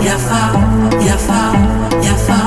Yafa, Yafa, Yafa,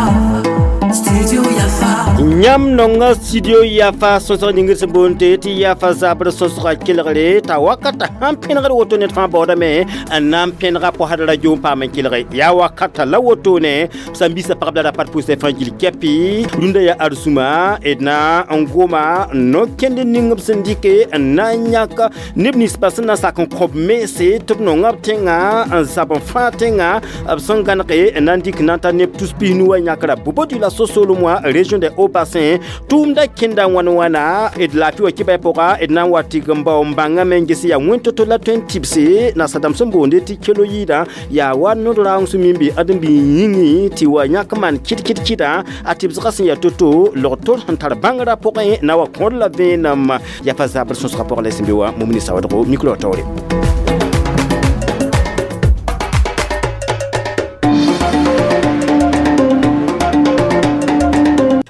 Studio Yafa. Yãmb nonga studio Yafa sõsg ning sẽn boond tɩ Yafa zabr sõsga kelgre t'a wakata sãn pẽnegd woto ned fãa baoodame n na n pẽnega posd radio n paam n kelge yaa wakata la wotone sãn bisa pagb la rapat pʋʋsɛ fãa gil kɛpɩ rũndã yaa arsũma d na n goma no-kẽnd ning b sẽn dɩke n na n yãk neb ninsbã sẽn na n sak n kõb mense tɩ b nonga b tẽngã n zab n fãa tẽngã b sẽn gãnege n na n dɩk na n tar neb tus pisnu wa yãkra Bobo la sosolem wã région de Haut-Bassin tʋʋmda kẽnda wãn wãna d laafɩ wa kɩba pʋga d na n wa tɩg n bao n bãngame n ges yaa wẽn-to-to la tõe n tɩbse nasadãmb sẽn boonde tɩ kelo yɩɩdã yaa wa nod raoong sẽn mimbe ãdem-bi yĩngẽ tɩ wa yãk maan kɩd kɩd kɩdã a tɩbsgã sẽn yaa to-to log-tor sẽn tar bãngrã pʋgẽ na wa kõd la vẽenem yafa zabr sõsgã pʋgã la sẽn be wã Momini Sawadogo micro taoore.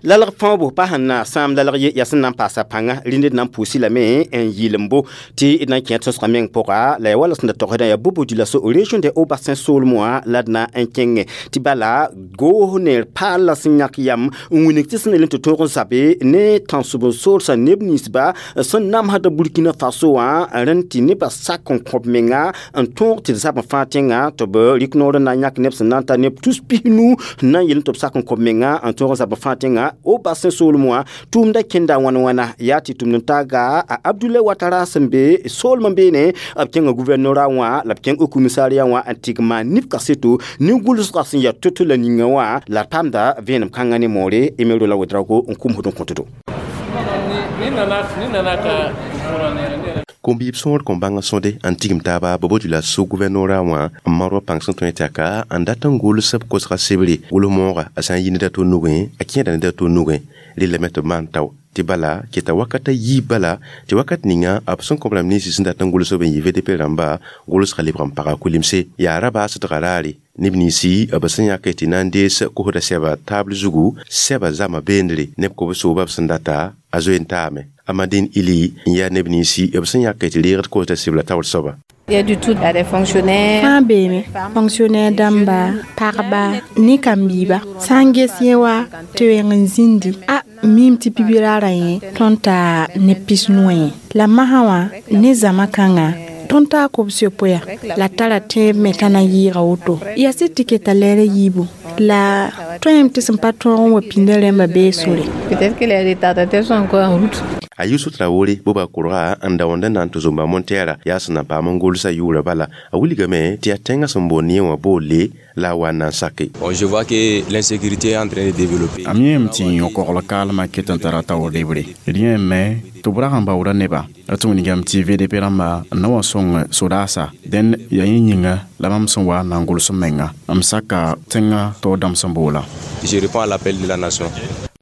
Lalg fãoobo pa sẽn na sãam lalg ye yaa sẽn na n paasa pãnga rĩnd d na n pʋʋsi lame n yɩlembo tɩ d na n kẽ sõsgã meng pʋga la yaa wala sẽn da togsdã yaa Bobo-Dioulasso région de Haut-Bassin soolem wã la d na n kẽngẽ tɩ bala goos neer paal la sẽn yãk yam n wilg tɩ sẽn yel tɩ tõog n zabe ne tãnsʋb n soolsã neb ninsba sẽn namsda Burkina Faso wã rẽnd tɩ nebã sak n kõb menga n tõog tɩ d zab n fãa tẽngã tɩ b rɩk noor n na n yãk neb sẽn na n tar neb tus pisnu n na n yel tɩ b sak n kõb menga n tõog n zab n fãa tẽngã Haut-Bassin soolem wã tʋʋmda kẽnda wãn wãna yaa tɩ tʋmd n taaga a Abdoulaye Ouattara sẽn be soolem n beene b kẽnga gouvernorat wã la b kẽng commissariat wã n tɩg maan neb kaseto nin-gʋlsgã sẽn yaa to-to la ninga wã la d paamda vẽenem kãngã ne moore Emero la Ouedraogo n kumsd n kõtdo. Kom-biib sõor kõn bãng sõde n tigim taaba Bobo-Dioulasso gouvernorat wã n marwa pãng sẽn tõe tɩ aka n dat n gʋls b kosga sebre gʋls mooga a sã n yi ned a to nugẽ a kẽeda ned a to nugẽ rellame tɩ b maan tao tɩ bala keta wakata yiib bala tɩ wakat ninga b sẽn kõb rãmb ninsi sẽn dat n gʋls b n yɩ VDP rãmba gʋlsga lebg n paga kulimse yaa ra baasdga raare neb ninsi b sẽn yãk tɩ na n dees kosda sɛba taabl zugu sɛba zãma beendre neb kob-sooba b sẽn data a zoe n taame Amadine Ili n yaa neb ninsi b sẽn yãk tɩ reegd kosda sebla taoor soaba. Il y a du tout, il y a des fonctionnaires. Fãa beeme fonctionnaire dãmba pagba ne kambɩɩba sã n ges yẽ wa tɩ wẽng n zĩndi a miime tɩ pibi-raarã yẽ tõnd taa ne pisnu wã yẽ la masã wã ne zãma kãngã tõnd taa kobs-yopoe la tara tẽeb me t'a na yɩɩga woto yaa sɩd tɩ keta lɛɛr yiibu la tõem tɩ sẽn pa tõog n wa pĩndã rẽmbã bee sore. Peut-être que les retardataires sont encore en route. A Yusuf Traoré boba kʋrga n da wãnda na n tɩ zomba montɛɛra yaa sẽn na n paam n gʋlsa yʋʋra bala a wilgame tɩ yaa tẽngã sẽn boond yẽ wã boolle la a wa n na n sake. Bon, je vois que l'insécurité est en train de développer. Am yẽem tɩ yõ-kogl kaalmã ket n tara taoor lebre d yẽeme tɩ b rag n baooda neba d tɩ wilgame tɩ VDP rãmba n na wa sõng sodaasa dẽn yaa yẽ yĩnga la mam sẽn wa n na n gʋls m menga m saka tẽngã taoor dãmb sẽn boola. Je réponds à l'appel de la nation.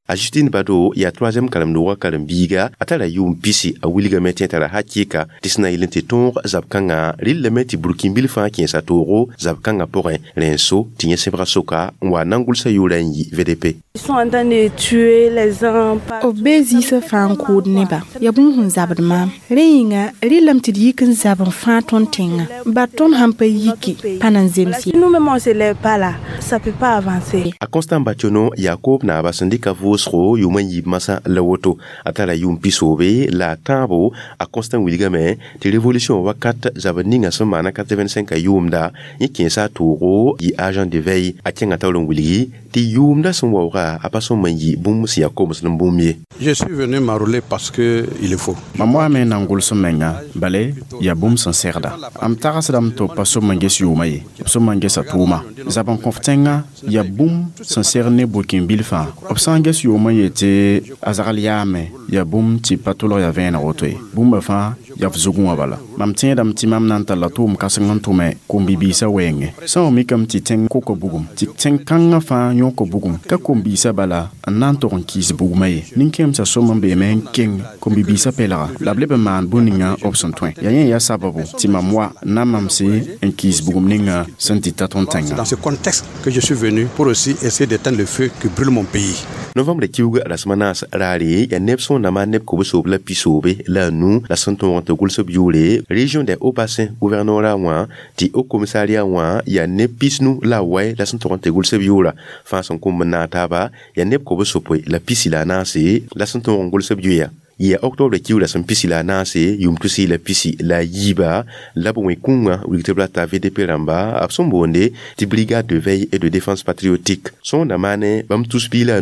A Justine Bado yaa troisième karen-doogã karen-biiga a tara yʋʋm pisi a wilgame tɩ tara hakɩɩka tɩ sẽn na yel tɩ tõog zab-kãngã rɩllame tɩ burkĩn-bil fãa kẽesa toogo zab-kãngã pʋgẽ rẽ n so tɩ yẽ sẽbga soka n wa na n gʋlsa yʋʋrã n yi VDP. Ils sont en train de tuer les uns. B bee zĩisã fãa n kʋʋd neba yaa bũmb sẽn zabd maam rẽ yĩnga rɩllame tɩ d yik n zab n fãa tõnd tẽngã bar tõnd sãn pa yiki pa na n zems ye. Si nous-mêmes on se lève pas là, ça peut pas avancer. A Constant Bationo yaa koob naaba sẽn dɩka vʋʋsgo yʋʋm n yiib masã la woto a tara yʋʋm pisoobe la a tãabo a Constant wilgame tɩ révolution wakat zabd ninga sẽn maana 85 a yʋʋmda yẽ kẽesa a toogo yɩ agent de veille a kẽngã taoor n wilgi tɩ yʋʋmda sẽn waooga a pa sõm n yɩ bũmb sẽn yaa koms n bũmb ye. Je suis venu m'enrôler parce que il le faut. Mam waame n na n gʋls m menga bale yaa bũmb sẽn segda m tagsdame tɩ b pa sõm n ges yʋʋma ye b sõm n gesa tʋʋma zab n kõf tẽngã yaa bũmb sẽn segd ne burkĩn-bil fãa b sã n ges yʋʋmã yetɩ a zagl yaame yaa bũmb tɩ pa tʋlg yaa vẽeneg woto ye bũmba fãa yaa f zugẽ wã bala mam tẽedame tɩ mam na n talla tʋʋm kãseng n tʋme kom-bi-biisã wɛɛngẽ sã wa mikame tɩ tẽng koka bugum tɩ tẽn-kãngã fãa yõka bugum ka kom-biisã bala n na n tog n kɩɩs bugmã ye nin-kẽemsã sõm n beeme n keng kom-bi-biisã pɛlga la b leb n maan bũn-ninga b sẽn tõe yaa yẽ yaa sababu tɩ mam wa na mamse n kɩɩs bugum ninga sẽn dɩta tõnd tẽngã. Dans ce contexte que je suis venu pour aussi essayer d'éteindre le feu qui brûle mon pays. Novembre kiuga rasma naas raare yaa neb sõn na maan neb kobs-soob la pisoobe la a nu la sẽn tõog n tɩ gʋls b yʋʋre région des Hauts-Bassins gouvernorat wã tɩ haut commissariat wã yaa neb 50 la wɛ la sẽn tog n tɩ gʋls b yʋʋra fãa sẽn kũmb n naag taaba yaa neb 94 la sẽn tõog n gʋls b yoeya ya octobre kiugra sẽn 14 yʋʋm 2017 la b wẽ kũngã wilg tɩ b rata VDP rãmba b sẽn boonde tɩ brigade de veille et de défense patriotique sõorda maane bãmb tus 15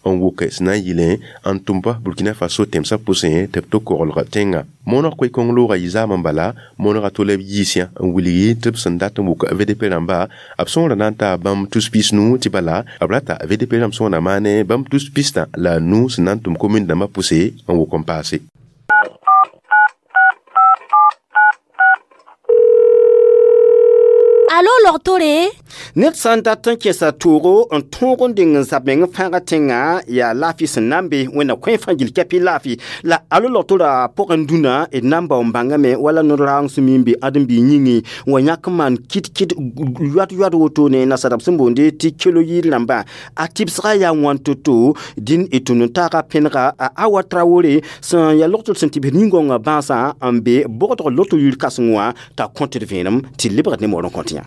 n wʋk sẽn na n yɩlẽ n tʋm-ba Burkina Faso tẽmsã pʋsẽ tɩ b to koglg tẽngã mooneg koe-kõng loogã yɩ zaam n bala moonegã tole b yiisã n wilgi tɩ b sẽn dat n wʋk VDP rãmba b sõorã na n taa bãmb tus 50 tɩ bala b rata VDP rãmb sõorã maane bãmb tus 65 sẽn na n tʋm commune dãmbã pʋse n wʋk n paase. Alo logtore ned sã n dat n kẽesa toogo n tõog n deng n zab meng n fãaga tẽngã yaa laafɩ sẽn na n be wẽnna kõ fãa gil kɛpɩ laafɩ la alo logtora pʋgẽ dũnã d na n bao n bãngame wala nod-raoong sẽn mi n be ãdem-biig yĩngẽ wa yãk n maan kɩt-kɩt yoad-yoad wotone nasadab sẽn boonde tɩ keloyid rãmbã a tɩbsgã yaa wãn to-to dĩn d tũud n taaga pẽnega a Awa Traoré sẽn yaa logtr sẽn tɩ bs nin-gõngã bãasã n be bogdg loto yir kãseng wã t'a kõt d vẽenem tɩ lebgd ne moor n kõt yã.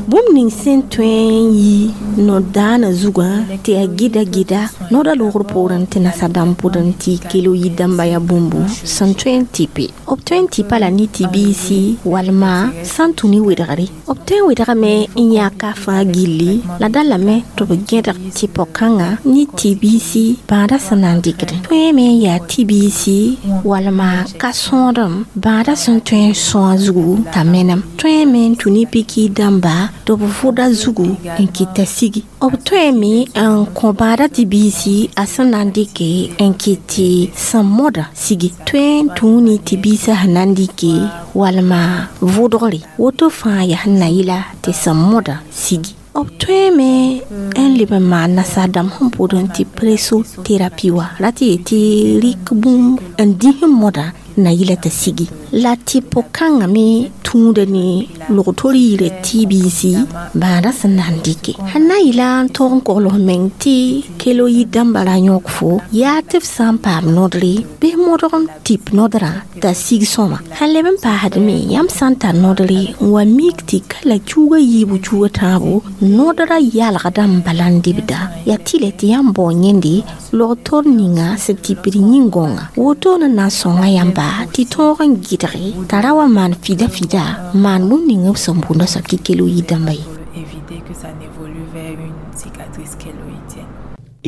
Bũmb ning sẽn tõe n yi no-daanã zugã tɩ yaa gɩda gɩda noodã loogr poorẽ tɩ nasa-dãmb pʋdẽ tɩ keloyid dãmba yaa bũmbu sẽn tõe n tɩpe b tõe n tɩpa la ne tɩ-biisi walma sã n tũ ne wedgre b tõe n wedgame n yãk a fãa gilli la da lame tɩ b gẽdg tɩ pao-kãngã ne tɩ-biisi bãadã sẽn na n dɩkdẽ tõeme n yaa tɩ-biisi walma ka sõodem bãadã sẽn tõe n sõa zugu t'a menem tõeme n tũ ne piki dãmba tɩ b vʋda zugu n kɩta sigi b tõeme n kõ bãadã tɩ-biisi a sẽn na n dɩke n kɩt tɩ sẽn mõda sigi tõe n tũu ne tɩ-biisã sẽn na n dɩke walma vʋdgre woto fãa yaa sẽn na yɩla tɩ sẽn mõda sigi b tõeme n leb n maan nasaar-dãmb sẽn pʋdẽ tɩ pressothérapie wa ra tɩ yetɩ rɩk bũmb n dĩs n mõda na yɩla t'a sigi la tɩ po-kãngã me tũuda ne logtor yira tɩ-biisi bãadã sẽn na n dɩke sẽn na n yɩla n tõog n kogls meng tɩ keloyid dãmbã ra yõk fo yaa tɩ f sã n paam nodre bɩ modg n tɩp nodrã t'a sig sõma sẽn leb n paasdme yãmb sã n tar nodre n wa mik tɩ ka la cuuga yiibu cuuga tãabo nodrã yalgda n bala n dɩbda yaa tɩlɛ tɩ yãmb bao yẽnde logtor ninga sẽn tɩpd yĩn-gõnga wotone na n sõnga yãmba tɩ tõog n gɩdge t'a ra wa maan fida fida maan bũmb ning b sẽn bʋʋnda soab tɩ keloyid dãmba ye.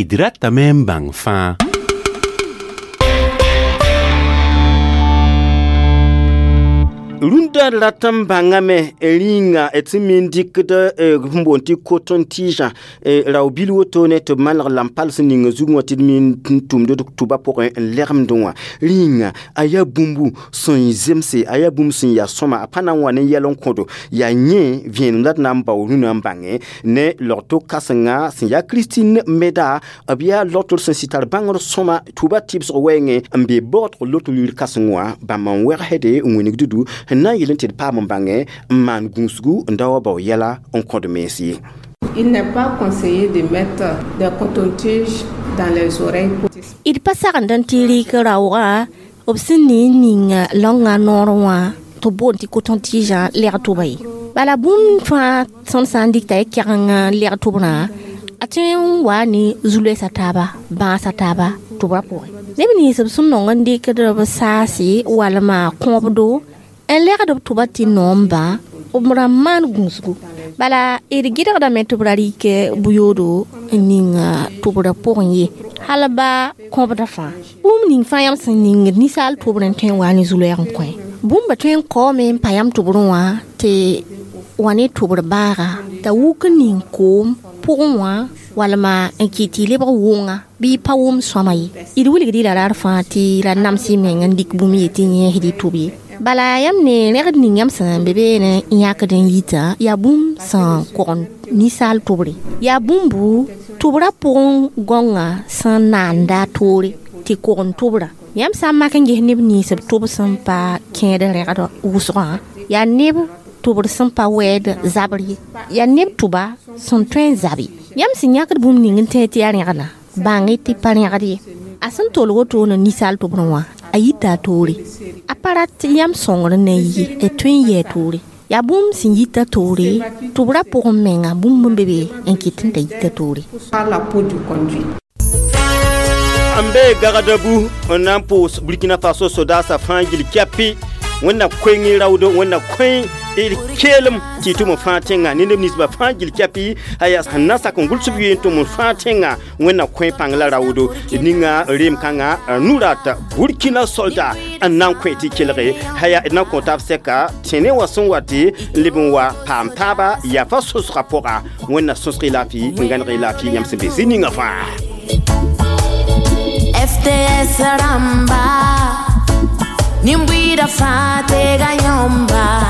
D ratame n bãng fãa. Rũndã rat n bãngame rĩnga tɩ me n dɩkd sẽn boond tɩ coton-tige rao-bil wotone tɩ b maneg lam-pal sẽn ning zugẽ wã tɩ d me n tʋmd d tʋba pʋgẽ n legmdẽ wã rĩnga a yaa bũmbu sẽn zemse a yaa bũmb sẽn yaa sõma a pa na n wa ne yɛl n kõdo yaa yẽ vẽenem la d na n bao rũnã n bãnge ne logto kãsenga sẽn yaa Christine Meda b yaa logtr sẽn sɩ tar bãngr sõma tʋba tɩbsg wɛɛngẽ n be baoodg loto yir kãseng wã bãmb n wɛgsde n wĩnigd du n na n yɩl n tɩ d paam n bãngẽ n maan gũusgu n da wa bao yɛla n kõd mens ye. Il n'est pas conseillé de mettre des cotons-tiges dans les oreilles. D pa sagend n tɩ rɩk raoogã b sẽn ne n ning laongã noorẽ wã tɩ b boond tɩ coton-tige lɛg tʋba ye bala bũmb fãa tõnd sã n dɩkta y kɛgeng lɛg tʋbrã a tõe n waa ne zu-loɛɛsã taaba bãasã taaba tʋbrã pʋgẽ neb nins b sẽn nong n dɩkd b saase walma kõobdo n lɛgd b tʋba tɩ noom-bã b ra maan gũusgu bala d gɩdgdame tɩ b ra rɩk bʋ-yoodo n ning tʋbrã pʋgẽ ye hal ba kõbda fãa bũmb ning fãa yãmb sẽn ningd ninsaal tʋbrẽ tõe n waa ne zu-loɛɛg n kõ bũmba tõe n kaoome n pa yãmb tʋbrẽ wã tɩ wa ne tʋbr baaga t'a wuk n ning koom pʋgẽ wã walma n kɩt tɩ lebg wʋnga bɩ pa wʋm sõma ye d wilgd y la rar fãa tɩ ra nams y meng n dɩk bũmb ye tɩ yẽesd y tʋb ye bala yãmb ne rẽgd ning yãmb sẽn be beene n yãkd n yitã yaa bũmb sẽn kogend ninsaal tʋbre yaa bũmbu tʋbrã pʋgẽ gõngã sẽn naanda toore tɩ kogend tʋbrã yãmb sã n mak n ges neb nins b tʋb sẽn pa kẽed rẽgd wʋsgã yaa neb tʋbr sẽn pa wɛɛd zabr ye yaa neb tʋba sẽn tõe n zabe yãmb sẽn yãkd bũmb ning n tẽ tɩ yaa rẽgdã bãng-y tɩ pa rẽgd ye A sẽn tolg woto ne ninsaal tʋbrẽ wã, a yita a toore. A pa rat yãmb sõngr n na n yi d tõe n yɩ a toore. Yaa bũmb sẽn yita toore tɩ b ra pʋgẽ menga bũmb n be be n kɩt n t'a yita toore. Par la peau du conduit. N be Gagadabu n na n pʋʋs Burkina Faso sodaasã fãa gil kɛpɩ. Wẽnna koeng raoodo, wẽnna koe d keelem tɩ tʋm n fãa tẽngã ne neb ninsbã fãa gil kɛpɩ a yaa sẽn na sak n gʋls b yeen tʋm n fãa tẽngã. Wẽnna koe pãng la raoodo ninga reem kãngã nurat Burkina soldat n na n koe tɩ kelge haya d na n kõ taab sɛka tẽne wã sẽn wa tɩ n leb n wa paam taaba yafa sõsgã pʋga. Wẽnna sõsg y laafɩ n gãneg y laafɩ yãmb sẽn be zĩ ninga fãa. FDS ramba Nimbuida fate ganyomba.